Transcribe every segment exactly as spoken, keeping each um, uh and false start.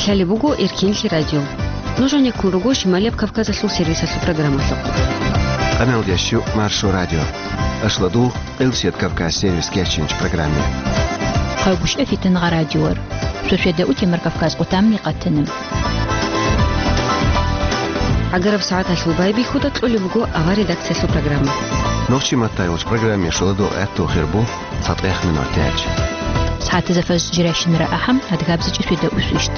Гьале буго Эркинлъи радио. Нуж гьанеккун руго Шималияб Кавказалъул сервисалъул программалъухъ. Къамелдящу Маршо радио. Ашладу Къилсият Кавказ сервис кечинч программе. Хъавгушев Фитангъа радиор. Шошеда утемар Кавказ къутамни къатанаб. Агараб сагӀаталъул байбихьуда кьолеб буго авар редакциялъул программа. Нохчи маттайолч программе шуладу гӀатту хирбу. ЦатӀех минутач. СагӀатазда фаз жирайщинара ахӀам, адгабзичӀи свида усвищт.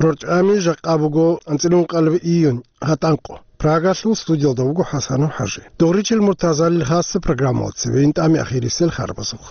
РорчӀами жакъа буго анцӀилун къалби июнь, гьатӀанкъо. Прагалъул студиялда вуго ХӀасанов ХӀажи. Дугъричил Муртазалил хасса программалда цебе интӀами ахирисел харбазухъ.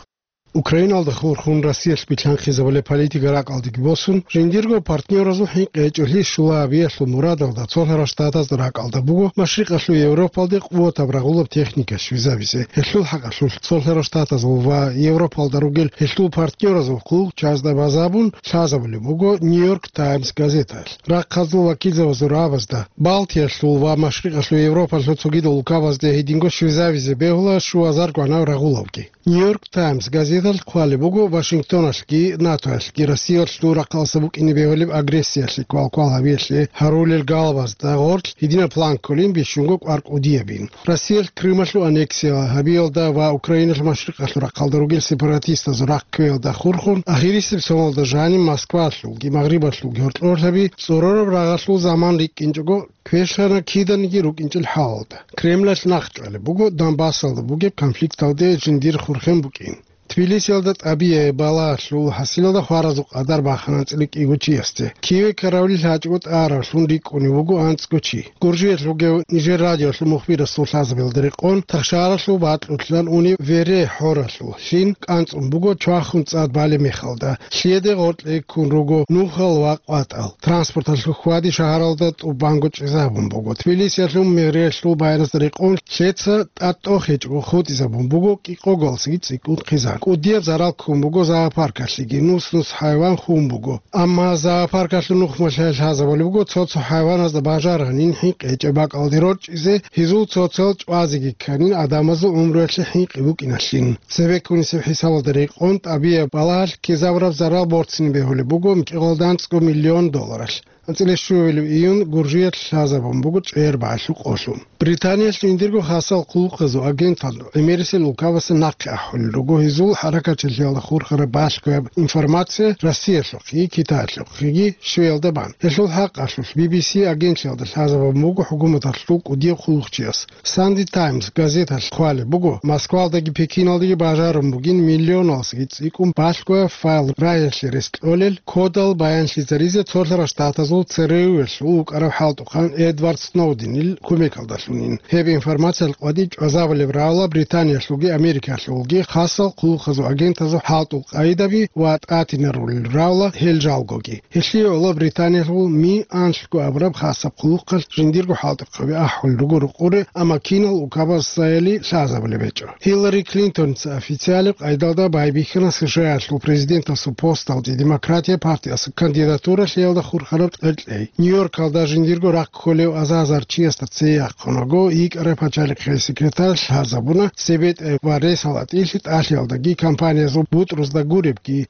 Украиналда хурхун Россиялъ билъанхъизабулеб политика ракӀалдеги босун, жиндирго партнёразул хӀинкъи гьечӀолъи щула гьабиялъул мурадалда цолъарал штатазда ракӀалда буго Машрикъалъул Европалде къуватаб рагъулаб техника щвезабизе. Гьелъул хӀакъалъулъ цолъарал штатазул ва Европалда ругел гьелъул партнёразул хъулухъчазда базабун лъазабулеб буго Нью-Йорк Таймс газеталъ. Рахъазул вакилзабазул рагӀабазда, Балтиялъул ва Машрикъалъул Европалъул цогидал улкабазде гьединго щвезавизе бегьула щуазар гванав рагъулавги. Нью-Йорк Таймс газеталъ хъвалеб буго Вашингтоналъги НАТОялъги Россиялъул рахъалъа букӀине бегьулеб агрессиялъе квалквал гьабиялъе гьарулел галабазда гъорлъ гьединаб план кколин бищунго кӀвар кӀудиябин. Россиялъ Крымалъул аннексия гьабиялда ва Украиналъ Машрикъалъул рахъалда ругел сепаратистазул рахъ кквеялда хурхун, ахирисеб соналда жаниб Москвалъулги Магърибалъулги гьоркьорлъаби цӀорораб рагъалъул заман рикӀкӀинчӀого, квешлъана киданиги рукӀинчӀел хӀалалда. Кремлалъ нахъчӀвалеб буго Донбассалда бугеб конфликталде жиндир хурхен букӀин. Тбилисиялда тӀабияб балагьалъул хӀасилалда хваразул къадар бахана анцӀила кӀиго чиясде. Киеве каравлил гьачӀого тӀаравлъун рикӀкӀунев вуго анцӀго чи. Гуржиялъ вугев нижер радиоялъул мухбирасул лъазабиялда рекъон, тахшаралъул бакьулъан унев вере хӀоралъул лъим кӀанцӀун буго чвахун цӀад балеб мехалда. Лъиеде гъоркье ккун руго нухал ва къватӀал. Транспорталъул хьвади шагьаралда тӀубанго чӀезабун буго. Тбилисиялъул мэриялъул байбихьизда рекъон лъеца тӀатӀохечӀого хутӀизабун буго кӀикъогалдасаги цӀикӀкӀун хъизан. КӀудияб зарал ккун буго зоопаркалъеги, нус-нус хӀайван хун буго. Амма зоопаркалъул нухмалъ лъазабулеб буго цо-цо хӀайваназда бажаргьанин хӀинкъи гьечӀеб бакӀалде рорчӀизе, гьезул цоцал чӀвазеги кканин, гӀадамазул гӀумруялъе хӀинкъи букӀиналъин. Цебеккунисеб хӀисабалда рекъон тӀабияб балагьалъ ккезабураб зарал борцине бегьулеб буго микьгӀалда анцӀго миллион долларалъ. АнцӀила щуабилеб июнь Гуржиялъ лъазабун буго чӀегӀер багӀалъул къолъун. Британиялъ жиндирго хасал хъулухъазул агентал гӀемерисел улкабасе нахъе ахӀулел руго гьезул хӀаракатчилъиялда хурхараб балъгояб информация Россиялъухъеги Китаялъухъеги щвеялда бан. Гьелъул хӀакъалъулъ Би Би Си агентлъиялда лъазабун буго хӀукуматалъул кӀудияв хъулухъчияс. Санди Таймс газеталъ хъвалеб буго, Москвалдаги Пекиналдаги бажарун бугин миллионалдасаги цӀикӀкӀун балъгояб файл рагьиялъе рес кьолел кодал баянлъизаризе цолъарал штатазул ЦРУялъул вукӀарав хӀалтӀухъан Эдвард Сноуденил кумекалдалъунин. Гьеб информациялъ къватӀиб чӀвазабулеб равла Британиялъулги Америкалъулги хасал хъулухъазул агентазул хӀалтӀул къагӀидаби ва тӀатинарулел равла гьел жалгоги. Гьелъие гӀоло Британиялъул Ми анлъго абураб хасаб хъулухъалъ жиндирго хӀалтӀухъаби ахӀулел руго рукъуре, амма кинал улкабазда цояли лъазабулеб гьечӀо. Гьиллари Клинтонца официалаб къайдалда байбихьана СШЯ-ялъул президентасул посталде Демократия партиясул кандидатуралъиялда хурхараб кьеркьей. Нью-Йоркалда жиндирго рахъ кколев азазар чиясда цее яхъунаго, йикӀарай пачалихъе секретарь лъазабуна, цебетӀе ва ресал атӀилъи тӀалъиялдаги кампаниязул бутӀрузда гуребги.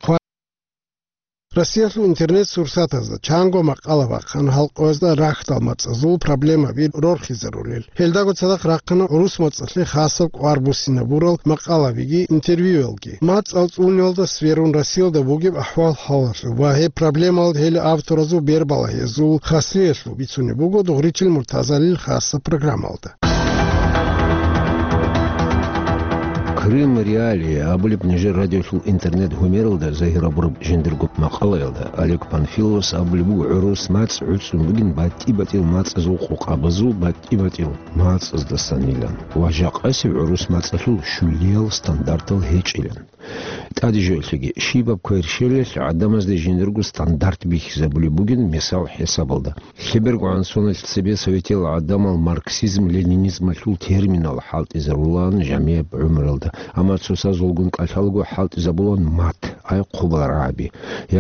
Россиялъул интернет-сурсатазда чанго макъала бахъана халкъоязда рахьдал мацӀазул проблемаби рорхизарулел. Гьелдаго цадахъ рахъана гӀурус мацӀалъе хасаб кӀвар буссинабурал макъалабиги интервьюялги. МацӀал цӀуниялда сверун Россиялда бугеб ахӀвал-хӀалалъул ва гьеб проблемал гьел авторазул бербалагьиязул хаслъиялъул бицунеб буго Дугъричил Муртазалил хасаб программалда. Крым Реалии абулеб нижер радиолъул интернет-гьумералда загьир абураб жиндирго макъалаялда Олег Панфиловас абулеб буго, гӀурус мацӀ гӀуцӀун бугин батӀи-батӀил мацӀазул къокъабазул батӀи-батӀил мацӀаздасанилан ва жакъасеб гӀурус мацӀалъул щулиял стандартал гьечӀилан. ТӀаде жоялъеги, щибаб кверщелалъ гӀадамазда жиндирго стандарт бихьизабулеб бугин, мисал хӀисабалда. Лъеберго гӀан соналъ цебе советиял гӀадамал марксизм-ленинизмалъул терминал хӀалтӀизарулаан жамияб гӀумралда, амма цоцазулгун кӀалъалаго хӀалтӀизабулаан мат, ай хъубал рагӀаби,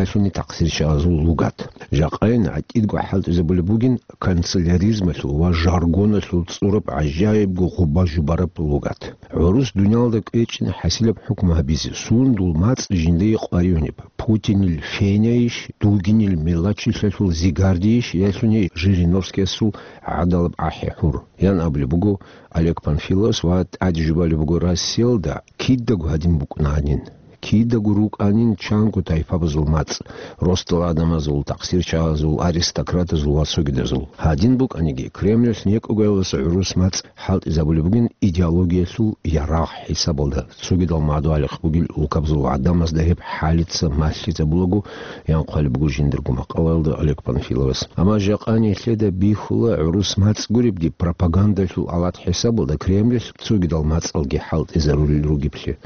ялъуни тахъсирчагӀазул лугат. Жакъайин гӀатӀидго хӀалтӀизабулеб бугин канцеляризмалъул ва жаргоналъул цӀураб гӀажаибго гъуба жубараб лугат. ГӀурус дуниялда кӀвечӀин хӀасилаб хӀукму гьабизе, Цун дул мацӀ жиндие къваригьунеб? Путинил фенайищ, Дугинил мелочилъалъул зигардийищ, ялъуни Жириновскиясул гӀадалаб ахӀи-хӀур? Ян абулеб буго Олег Панфиловас ва тӀаде жубалеб буго Россиялда кидаго гьадин букӀунанин. Кидаго рукӀанин чанго тайпабазул мацӀ, росдал гӀадамазул, тахсирчагьазул, аристократазул ва цогидазул. Гьадин букӀаниги, Кремльалъ некӀогоялдаса гӀурус мацӀ хӀалтӀизабулеб бугин идеологиялъул ярагъ хӀисабалда, цогидал мадугьалихъ бугел улкабазул гӀадамазда гьеб хӀалица малъизабулаго, ян хъвалеб буго жиндирго макъалаялда Олег Панфиловас. Амма жакъа нилъеда бихьула гӀурус мацӀ гуребги пропагандалъул алат хӀисабалда Кремльалъ цогидал мацӀалги хӀалтӀизарулел ругеблъи.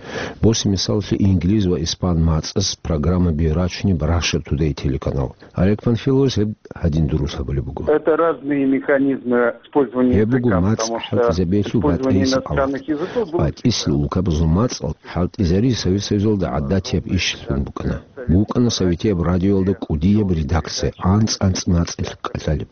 Босе мисаллъи инглиз ва испан мацӀас программаби рачунеб Russia Today телеканал. Олег Панфиловас гьеб гьадин дурус гьабулеб буго. Это разные механизмы использования Гьеб буго языка, мацӀ потому что хӀалтӀизабиялъул использование батӀиясеб алат. иностранных языков было БатӀисел улкабазул мацӀал хӀалтӀизари Совет Союзалда гӀадатияб ишилъун букӀана. БукӀана советияб радиоялда кӀудияб редакция, анцӀ-анцӀ мацӀалъ кӀалъалеб.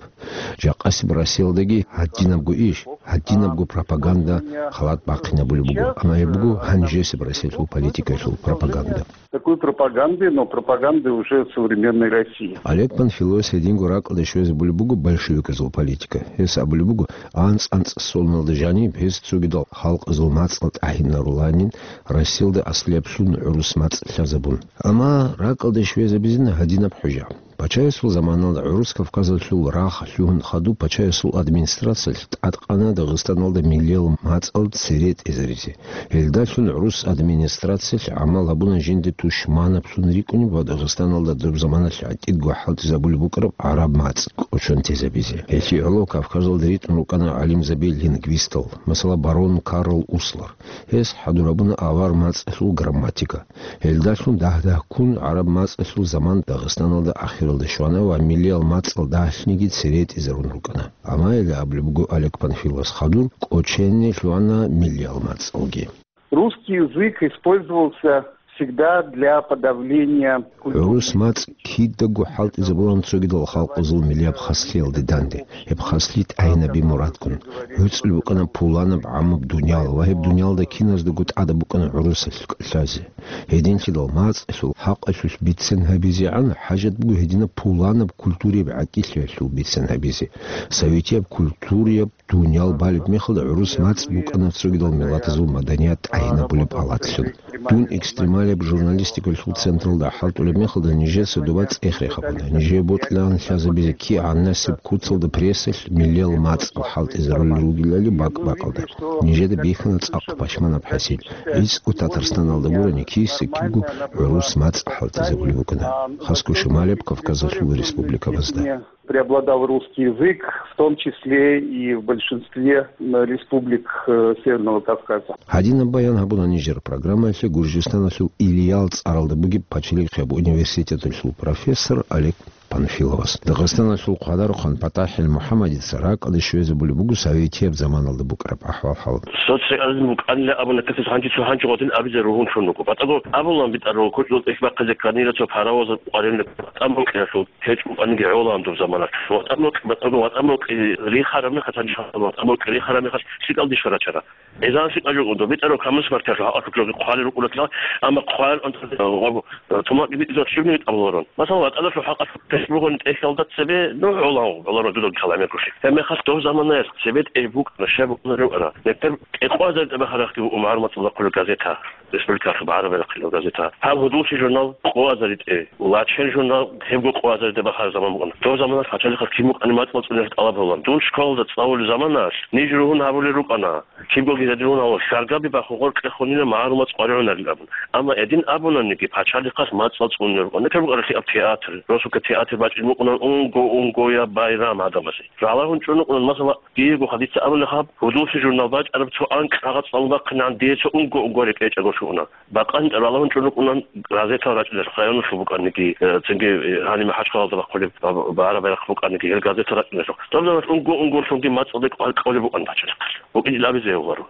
Жакъасеб Россиялдаги гьадинабго иш, гьадинабго пропаганда халат бахъинабулеб буго, амма гьеб буго гьанжесеб Россиялъул политикаялъул пропаганда. Такой пропаганды, но пропаганды уже современной России. Олег Панфиловас гьединго ракӀалде щвезабулеб буго большевиказул политика. Гьес абулеб буго, анцӀ-анцӀ соналда жаниб гьез цогидал халкъазул мацӀал тӀагьинаруланин, Россиялда аслияб лъун гӀурус мацӀ лъазабун. Амма ракӀалде щвезабизина гьадинаб хӀужа. Пачаясул заманалда гӀурус Кавказалъул рагъ лъугьун хадуб пачаясул администрациялъ тӀадкъана Дагъистаналда миллиял мацӀал цере тӀезаризе. Гьелдалъун гӀурус администрациялъ гӀамал гьабуна жинде тушманаблъун рикӀкӀунеб ва Дагъистаналда доб заманалъ гӀатӀидго хӀалтӀизабулеб букӀараб гӀараб мацӀ кӀочон тезабизе. Гьелъие гӀоло Кавказалда ритӀун рукӀана гӀалимзаби-лингвистал, масала, барон Карл Услар. Гьес хӀадур гьабуна авар мацӀалъул грамматика. Гьелдалъун дагь-дагьккун гӀараб мацӀалъул заман Дагъистаналда ахиралде щвана ва миллиял мацӀал дагьлъниги цере тӀезарун рукӀана. Амма гьеле абулеб буго Олег Панфиловас, хадур кӀочене лъугьана миллиял мацӀалги. Русский язык использовался всегда для подавления культурной. ГӀурус мацӀ кидаго хӀалтӀизабулан цогидал халкъазул миллияб хаслъиялде данде. Гьеб хаслъи тӀагьинаби мурадгун. ГӀуцӀул букӀана пуланаб гӀамаб дуниял ва гьеб дуниялда киназдаго тӀадаб букӀана гӀурусалъ кӀалъазе. Гьединлъидал мацӀалъул хӀакъалъулъ бицен гьабизегӀан хӀажат буго гьединаб пуланаб культурияб гӀатӀилъиялъул бицен гьабизе. Советияб культурияб дуниял балеб мехалда гӀурус мацӀ букӀана цогидал миллатазул маданият тӀагьинабулеб алатлъун. Дун экстремалияб журналистикалъул централда хӀалтӀулеб мехалда нижеца доба цӀех рехабуна. Нижее бокьилаан лъазабизе кигӀан насиб куцалда прессалъ миллиял мацӀал хӀалтӀизарулел ругелали бакӀ-бакӀалда. Нижеда бихьана цӀакъ пашманаб хӀасил. ГӀицӀго Татарстаналда гурани киса кибго гӀурус мацӀ хӀалтӀизабулеб букӀана, хасго шималияб Кавказалъул республикабазда. Преобладал русский язык, в том числе и в большинстве, м, республик, э, Северного Кавказа. Гьадинаб баян гьабуна нижер программаялъе Гуржистаналъул Ильял цӀаралда бугеб пачалихъияб университеталъул профессор Олег Панфиловас. Дагъистаналъул хъвадарухъан ПатахӀил МухӀаммадица ракӀалде щвезабулеб буго советияб заманалда букӀараб ахӀвал-хӀал. Социализм букӀанила абуна касес гьанжи цо гьанжи гъодин абизе ругьун чун руго. БатӀаго абулан битӀарав кучӀдул тӀехь бахъизе кканила цо паровоз къварилъун ВатӀан бокьиялъул. ГьечӀо букӀаниги гӀолаан доб замана. ВатӀан бокьи, батӀаго ватӀан бокьи рихараб мехалъ, гьанже ватӀан бокьи рихараб мехалъ лъикӀал диш рачара. Гьезан лъикӀал жо ундо, битӀарав камус мартиялъул хӀакъалъулъги хъвалел рукӀуна кьа, амма хъвалел унтарда, тумакъи битӀизаб щибниги тӀамуларун. Масала, ватӀаналъул хӀакъалъулъ тесбугьун тӀехьалда цебе, ну, гӀолаан, гӀоларо дуда калами гури. Гьеб мехалъ доб заманаялъ цебе тӀе букӀана, щай букӀунарев ана. Нетер кӀикъвазар тӀабахарахъги умар мацӀалда хъулеб газета. Республикалъ багӀараб рахъинал газета. Гьаб гьудуллъи журнал къо азаритӀе, Лачен журнал гьебго къо азаритӀе бахараб заман букӀана. Доб заманалъ пачалихъалъ кин букӀани мацӀал цӀуниялъ тӀалаб гьабулан. Дун школалда цӀалулеб заманалъ, ниж ругьун гьабулел рукӀана, кибгоги гьедин гьавула, хьаргаби бахун гъоркье хунила магӀарул мацӀ къваригӀунарил абун. Амма гьедин абунаниги, пачалихъалъ мацӀал цӀунине рукӀана. Нетер букӀаралъи аб театр, росулъа театр бачӀин букӀунан унго-унгояб байрам гӀадамазе. Ралагьун чӀун рукӀунан, масала, Диего хадица абулеб гьаб, гьудуллъи журнал бачӀараб цо анкь кагъат цӀалун бахъинегӀан дие цо унго-унго рекӀечӀого щуна. Бакъанин ралагьун чӀун рукӀунан газетал рачӀиналъухъ, районалъул букӀаниги, э, цинги, э, гьаниб МахӀачхъалалда бахъулеб ба-, ба-, багӀараб байрахъ букӀаниги, гьел газета рачӀиналъухъ. Доб заманалъ унго-унгоялъунги мацӀалде кӀвар кьолеб букӀан пачалихъалъ. БукӀинчӀел абизе гьавуларо.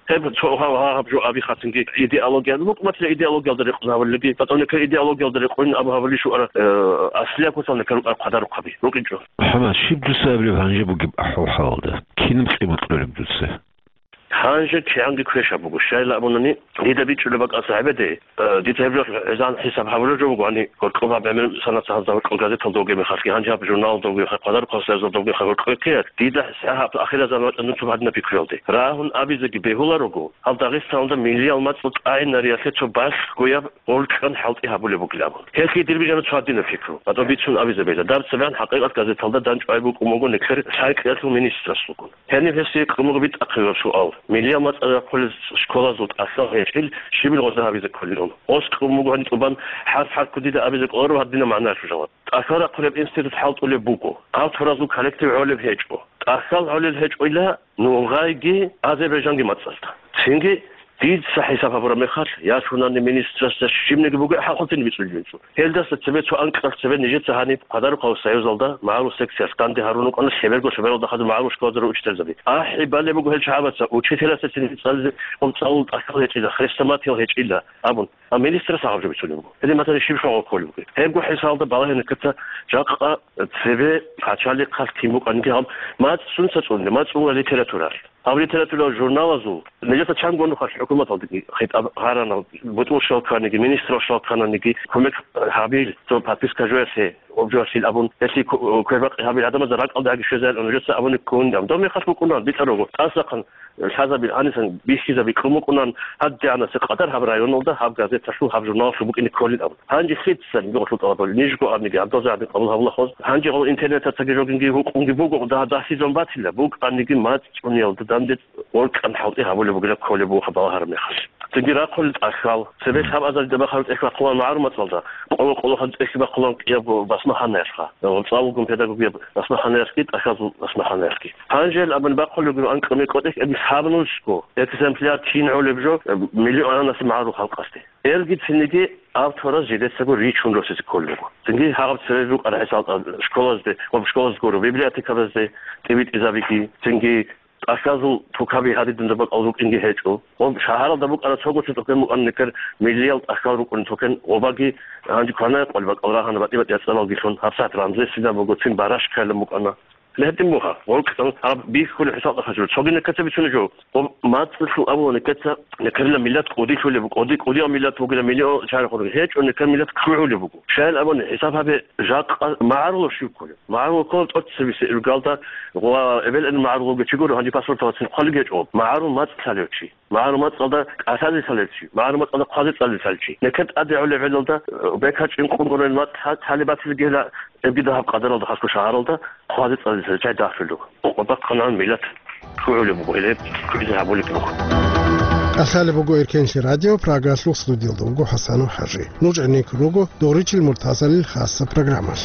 Гьеб цо гьав-, гьаб жо аби хъатинги идеология, ну, букӀматила идеологиялда рекъон гьавулелги, батӀа некер идеологиялда рекъон абу гьавулел щуара, э, аслияб кутал некер рукӀар хъвадарухъаби. РукӀинчӀо. МухӀаммад, щиб дуца абилеб гьанже бугеб ахӀвал-хӀалалда? Кинаб къимат кьолеб дуца? Гьанже кигӀанги квешаб буго. Щайла абунани, дида бичӀчӀулеб бакӀалъа гьабеде, э, дица гьеб жо гӀезан хӀисаб гьабулеб жо буго, гьани гьоркьоб гьаб гӀемер санаца гьазда гьоркьоб газеталда вугеб мехалъги, гьанже гьаб журналалда вугеб мехалъ, Къадар Къасиязалда вугеб мехалъ гьоркьоб ккеяр, дида гьаб ахират заман вачӀанцун гьадинаб пикруялде. Рагьун абизеги бегьуларого, гьал Дагъистаналда миллиял мацӀал тӀагӀинариялъе цо балъгояб гъоркьан хӀалтӀи гьабулеб бугилан абун. Гьелъие дир бижана цо гьадинаб пикру. ГьатӀа бицун абизе бегьила. Даб цебегӀан хӀакъикъат газеталда дандчӀвай букӀун буго нилъер лъай-кьиялъул министрасулгун. Гьениб гьесие кьун буго битӀахъе суал. Миллиял мацӀал рахъулел школазул тӀахьал гьечӀил щибил гъоза гьабизе кколилан? Гъос кьун буго гьаниб тӀубан хӀарп-хӀарпго дида абизе кӀоларо гьадинаб магӀнаялъул жаваб. ТӀахьал рахъулеб институт хӀалтӀулеб буго. Гьав туразул коллектив гӀолеб гьечӀо. ТӀахьал гӀолел гьечӀойила нугъайги Азербайджанги мацӀалда. Цинги дица хӀисаб гьабураб мехалъ, яшунани министрасда щибниги буго хӀакълъун бицӀулеб жо. Гьелдаса цебе цо анкьалъ цебе нижеца гьаниб Къадарухъав союзалда магӀарул секциялъ данде гьарун рукӀана лъеберго-лъебералда хадур магӀарул школазда учительзаби. АхӀи балеб буго гьел чагӀабаца, учителасда цинги цӀализе къумцӀалул тӀахьал гьечӀила, хрестоматиял гьечӀила абун. А министрас гьаб жо бицунеб буго. Гьедин батани щиб шагьал кколеб бугеб? Гьебго хӀисалда балагье нилъеца жакъа цебе пачалихъалъ кин букӀаниги гьаб мацӀ сунца цӀуне, мацӀ цӀуна литературалъ. Гьаб литературал журналазул нижеца чанго нухалъ хӀукуматалдаги хитӀаб гьарана, бутӀрул щал кканиги, министрал щал ккананиги, кумек гьабил, цо подписка жоялъе, обжоялъил абун, гьелъие ку-, квербакъи гьабил гӀадамазда ракӀалда гьаги щвезарилан нужеца абуни ккун. Доб мехалъ букӀуна битӀарого, тӀасахъан лъазабил гьанисан бихьизаби кьун букӀунан, гьадигӀанасеб къадар гьаб районалда гьаб газеталъул, гьаб журналалъул букӀине кколин абун. Гьанже лъицаниги гъолъул тӀалабали, нижго абниги, гьаб дозе гьабни къабул гьабулахъоз, гьанже гъол интернетацаги жогинги гьукъунги буго, дагь-, дагьлъизабун батила, букӀаниги мацӀ цӀуниялда данде гъоркьан хӀалтӀи гьабулеб бугила кколеб буго хаб балагьараб мехалъ. Цинги рахъулел тӀахьал, цебе лъабазаридаб бахараб тӀехь бахъулан магӀарул мацӀалда, къоло-къолохъан тӀехь бахъулан кӀиябго басмаханаялъха, цӀалулгун педагогияб басмаханаялъги, тӀахьазул басмаханаялъги. Гьанже абун бахъулеб буго анкьа-минкьа тӀехь, эбис гьаб нужго экземпляр кин гӀолеб жо, э, миллионалъе магӀарул халкъалъе. Элги цинги автораз жидецаго ричун росизе кколел руго. Цинги гьаб цебе букӀараб хӀисалда школазде, ва школазде гуро, библиотекабазде тӀибитӀизабиги, цинги тӀахьазул тукаби гьадин дунда бакӀал рукӀинги гьечӀо. Ва шагьаралда букӀана цого цо тукан букӀана нилъер миллиял тӀахьал рукӀуни тукан, гъобаги гьанже кванаякъал бакӀал рагьана батӀи-батӀи яцӀалалгилъун, гьабсагӀат рамзесилан буго, цин барашкайилан букӀана. Гьедин буго, гъоркьан гьаб бихьулеб хӀисалда хадур. Цогидал ккацаб бицунеб жо, гъоб мацӀалъул абулани ккаца, нилъерила миллат кӀудилъулеб буго, кӀуди-, кӀудияв миллат вугила, миллион чагӀи гьечӀо, нилъер миллат ккугӀулеб буго. Щайил абуни, хӀисаб гьабе, жакъа магӀарулав щив кколев? МагӀарул кколев тӀоцебесеб иргалда ва эбел-эмен магӀарулавги чи гуро, гьанже паспорталда цин хъвалеб гьечӀо. МагӀарул мацӀ лъалев чи. МагӀарул мацӀалда кӀалъазе лъалев чи. МагӀарул мацӀалда хъвазе цӀализе лъалев чи. Нилъер тӀаде гӀолеб гӀелалда, э, бекачӀин къунгъунел мацӀ лъа-, лъалеб батилгела, эбги дагьаб къадаралда хасго шагьаралда хъвазе цӀализе лъалев чагӀи дагьлъулев. Къо-, къо-, бахъана миллат ккугӀулеб буго, гьелеб кквезе гьабулеб буго. КӀалъалеб буго Эркенлъи радио, Прагалъул студиялда вуго ХӀасанов ХӀажи. Нуж гӀенеккун руго Доричил Муртазалил хасаб программалъ.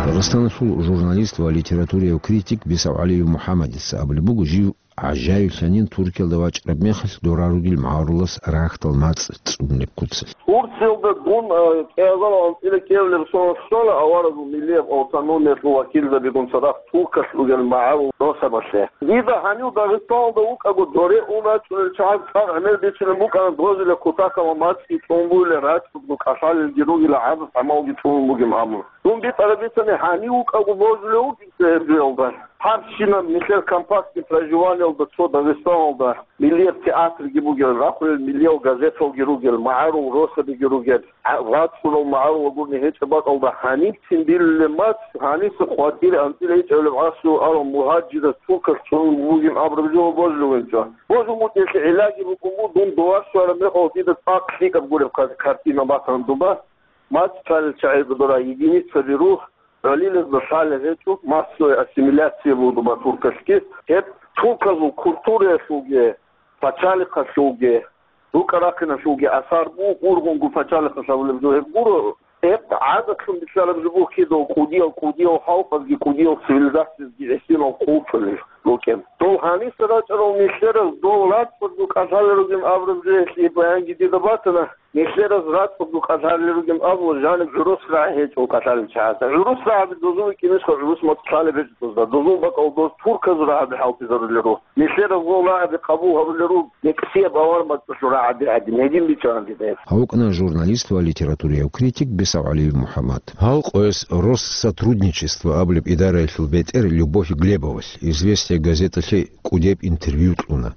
Дагъистаналъул журналист ва литературияв критик БисавгӀалиев МухӀаммадица абулеб буго, жив ГӀажаевлъанин Туркиялда вачӀараб мехалъ дора ругел магӀарулас рахьдал мацӀ цӀунеб куцалъ. Турциялда дун, э, кӀиазал анцӀила кӀиабилеб соналъ щвана аварагасул миллияб автономиялъул вакилзабигун цадахъ Туркалъ ругел магӀарул росабалъе. Дида гьанив Дагъистаналда вукӀаго доре ун рачӀунел чагӀаз цӀакъ гӀемер бицунеб букӀана дозулел кутакалда мацӀги цӀун бугила, рачӀунго кӀалъалелги ругила, гӀадац-гӀамалги цӀунун бугин абун. Дун битӀараб бицани, гьанив вукӀаго божулев вукӀин цебе гьеб жоялда. Гьаб щинаб нилъер компактный проживаниялда цо Дагъистаналда миллияб театрги бугел, рахъулел миллиял газеталги ругел, магӀарул росабиги ругел, гӀа-, рацӀцӀунал магӀарул гурони гьечӀеб бакӀалда гьанибцин билулеб мацӀ, гьаниса хъватӀире анцӀила гьечӀебилеб гӀасу арал мугьажирас Туркалъ цӀунун бугин абураб жо божулев вукӀинчӀо. Божун вукӀиналъе гӀиллаги букӀун буго, дун дова щвараб мехалъ дида цӀакъ лъикӀаб гуреб кар-, картина батана дуба. МацӀ цӀалел чагӀи гуро, единицаби рух, гӀолилазда лъалеб гьечӀо, массовая ассимиляция буго дуба туркалъги. Гьеб турказул культураялъулги, пачалихъалъулги, рукӀа-рахъиналъулги асар буго, ургъунго пачалихъалъ гьабулеб жо гьеб гуро. Гьеб гӀадатлъун бицараб жо буго кидав кӀудиял, кӀудиял халкъазги, кӀудиял цивилизациязги гӀисинал хъулчӀулел рукӀин. Дол гьаниса рачӀарал нилъераз дол рацӀцӀадго кӀалъалел ругин абураб жо гьелъие баянги дида батана. Нилъераз рацӀцӀадго кӀалъалел ругин абула, жаниб гӀурус рагӀи гьечӀо кӀалъалел чагӀазда. ГӀурус рагӀаби дозул вукӀинищха гӀурус мацӀ лъалеб гьечӀо дозда. Дозул бакӀал доз турказул рагӀаби хӀалтӀизарулел руго. Нилъераз гъол рагӀаби къабул гьарулел руго, некӀсияб авар мацӀалъул рагӀаби гӀадин, гьедин бичӀчӀана дида гьеб. Гьав вукӀана журналист ва литературияв критик БесагӀалиев МухӀаммад. Гьал къояс «Россотрудничество» абулеб идараялъул бетӀер Любовь Глебовалъ «Известия» газеталъе кӀудеб интервью кьуна.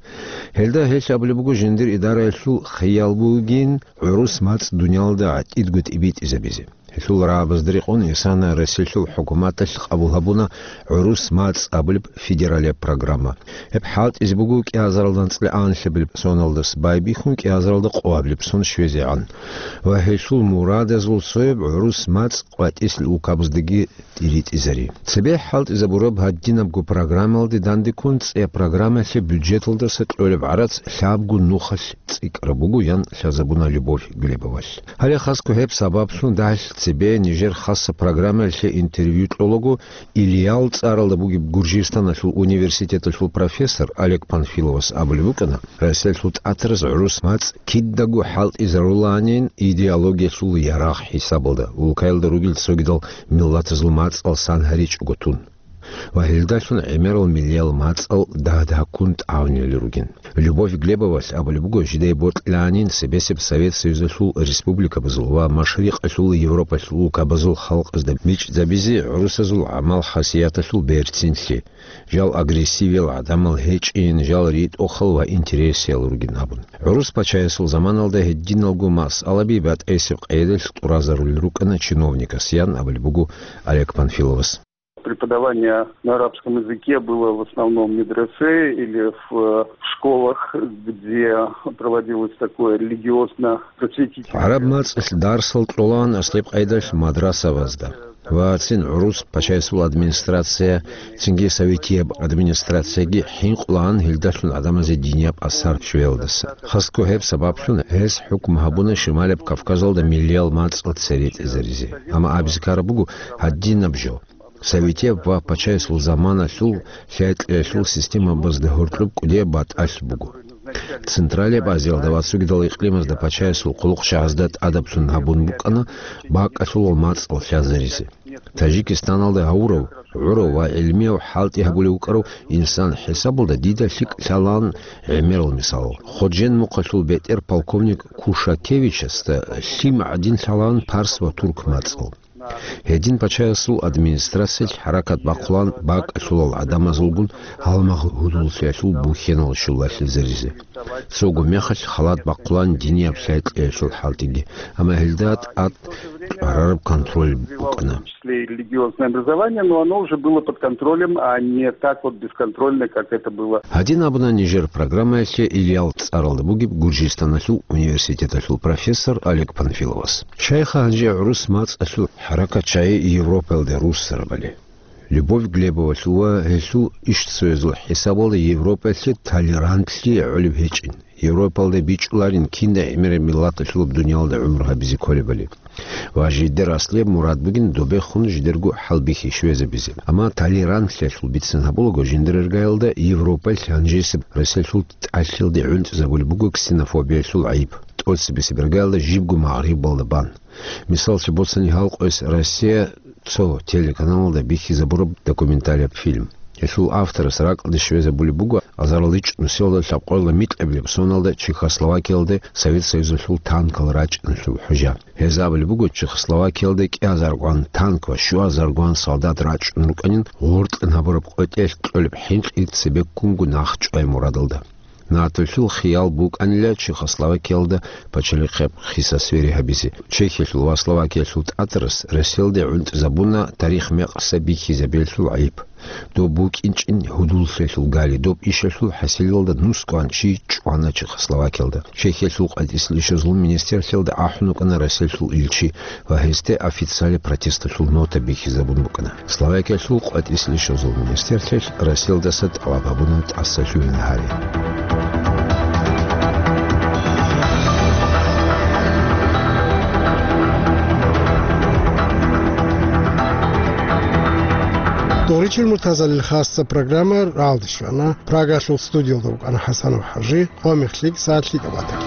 Гьелда гьелъ абулеб буго жиндир идараялъул хиял бугин гӀурус мацӀ дуниялда гӀатӀидго тӀибитӀизабизе. Гьелъул рагӀабазда рекъон исана Россиялъул хӀукуматалъ къабул гьабуна гӀурус мацӀ абулеб федералияб программа. Гьеб хӀалтӀизе буго кӀиазаралда анцӀила анлъабилеб соналдаса байбихьун кӀиазаралда къоабилеб сон щвезегӀан. Ва гьелъул мурадазул цояб гӀурус мацӀ къватӀислъи улкабаздаги тӀиритӀизари. Цебе хӀалтӀизабураб гьадинабго программалде дандеккун цӀе программалъе бюджеталдаса кьолеб гӀарац лъабго нухалъ цӀикӀкӀараб буго, ян лъазабуна Любовь Глебовалъ. Гьале хасго гьеб сабаблъун дагьалъ цебе нижер хасаб программаялъе интервью кьолаго, Ильял цӀаралда бугеб Гуржистаналъул университеталъул профессор Олег Панфиловас абулеб букӀана, Россиялъул тӀатараз гӀурус мацӀ кидаго хӀалтӀизарулаанин идеологиялъул ярагъ хӀисабалда, улкаялда ругел цогидал миллатазул мацӀал сан гьаричӀого тун. Ва гьелдалъун гӀемерал миллиял мацӀал дагь-дагьккун тӀагӀунел ругин. Любовь Глебовалъ абулеб буго, жидее бокьилаанин цебесеб Совет Союзалъул республикабазул ва Машрикъалъул Европалъул улкабазул халкъазда бичӀчӀизабизе гӀурусазул гӀамал-хасияталъул берцинлъи, жал агрессивиял гӀадамал гьечӀин, жал ритӀухъал ва интересиял ругин абун. ГӀурус пачаясул заманалда гьединалго масъалаби батӀайсеб къайдалъ тӀуразарулел рукӀана чиновникас, ян абулеб буго Олег Панфиловас. Преподавание на арабском языке было в основном в медресе или в, э, в школах, где проводилось такое религиозно-просветительное. ГӀараб мацӀалъ дарсал кьолаан аслеб къайдалъ мадрасабазда. Ва цин гӀурус пачаясул администрация, цинги советияб администрацияги хӀинкъулаан гьелдалъун гӀадамазе динияб асар щвеялдаса. Хасго гьеб сабаблъун гьес хӀукму гьабуна Шималаб Кавказалда миллиял мацӀал цере тӀезаризе. Амма абизе ккараб буго, гьадинаб жо. Советияб ва пачаясул заманалъул лъай-кьеялъул системабазда гьоркьоб кӀудияб батӀалъ буго. Централияб Азиялда ва цогидал икълимазда пачаясул хъулухъчагӀазда тӀадаблъун гьабун букӀана бакӀалъулал мацӀал лъазаризе. Тажикистаналда гьавурав, гӀурав ва гӀелмияв хӀалтӀи гьабулев вукӀарав инсан хӀисабалда дида лъикӀ лъалаан гӀемерал мисал. Ходжен мухъалъул бетӀер полковник Кушакевичасда лъим гӀадин лъалаан парс ва турк мацӀал. Гьедин пачаясул администрациялъ хӀаракат бахъулаан бакӀалъулал гӀадамазулгун гьалмагъ гьудуллъиялъул бухьенал щулалъизаризе. Цого мехалъ халат бахъулаан динияб лъай-кьеялъул хӀалтӀиги, амма гьелда тӀад кьварараб контроль букӀана. В числе и религиозное образование, но оно уже было под контролем, а не так вот бесконтрольно, как это было. Гьадин абуна нижер программаялъе Ильял цӀаралда бугеб Гуржистаналъул университеталъул профессор Олег Панфиловас. Щайха гьанже гӀурус мацӀалъул хӀаракат чагӀи Европаялде руссарабали? Любовь Глебовалъул ва гьелъул ишцоязул хӀисабалда Европаялъе толерантлъи гӀолеб гьечӀин. Европалда бичӀчӀуларин киндай гӀемераб миллаталъулаб дуниялда гӀумру гьабизе кколебали. Ва жидер аслияб мурад бугин добехун жидерго хӀалбихьи щвезабизе. Амма толерантлъиялъул бицин гьабулаго, жиндир иргаялда Европаялъ гьанжесеб Россиялъул тӀалъилде гӀунтӀизабулеб буго ксенофобиялъул гӀайиб, тӀоцебесеб иргаялда жибго Магърибалда бан. Мисаллъи боцани, гьал къояс Россия цо телеканалалда бихьизабураб документалияб фильм. Гьелъул авторас ракӀалде щвезабулеб буго азарилгӀач нусиялда лъабкъоялда микьабилеб соналда Чехословакиялде Совет Союзалъул танкал рачӀиналъул хӀужа. Гьез абулеб буго, Чехословакиялде кӀиазаргун танк ва щуазаргун солдат рачӀун рукӀанин гъоркьан гьабураб къотӀиялъ кьолеб хӀинкъи цебеккунго нахъчӀвай мурадалда. НАТОлъул хиял букӀанила Чехословакиялда пачалихъеб хиса-свери гьабизе. Чехиялъул ва Словакиялъул тӀатарас Россиялде гӀунтӀизабуна тарих мекъса бихьизабиялъул гӀайиб. Доб букӀинчӀин гьудуллъиялъул гали, доб ишалъул хӀасилалда нусгоан чи чӀвана Чехословакиялда. Чехиялъул къватӀисел ишазул министрлъиялда ахӀун вукӀана Россиялъул илчи ва гьесде официалияб протесталъул нота бихьизабун букӀана. Словакиялъул къватӀисел ишазул министрлъиялъ Россиялдаса тӀалаб гьабуна тӀаса лъугьине гьари. Доричил Муртазалил хасса программа ралдишвана. Прагалъул студиялда вукӀана ХӀасанов ХӀажи, къо мехлъи сагӀат лъикӀаб батаги.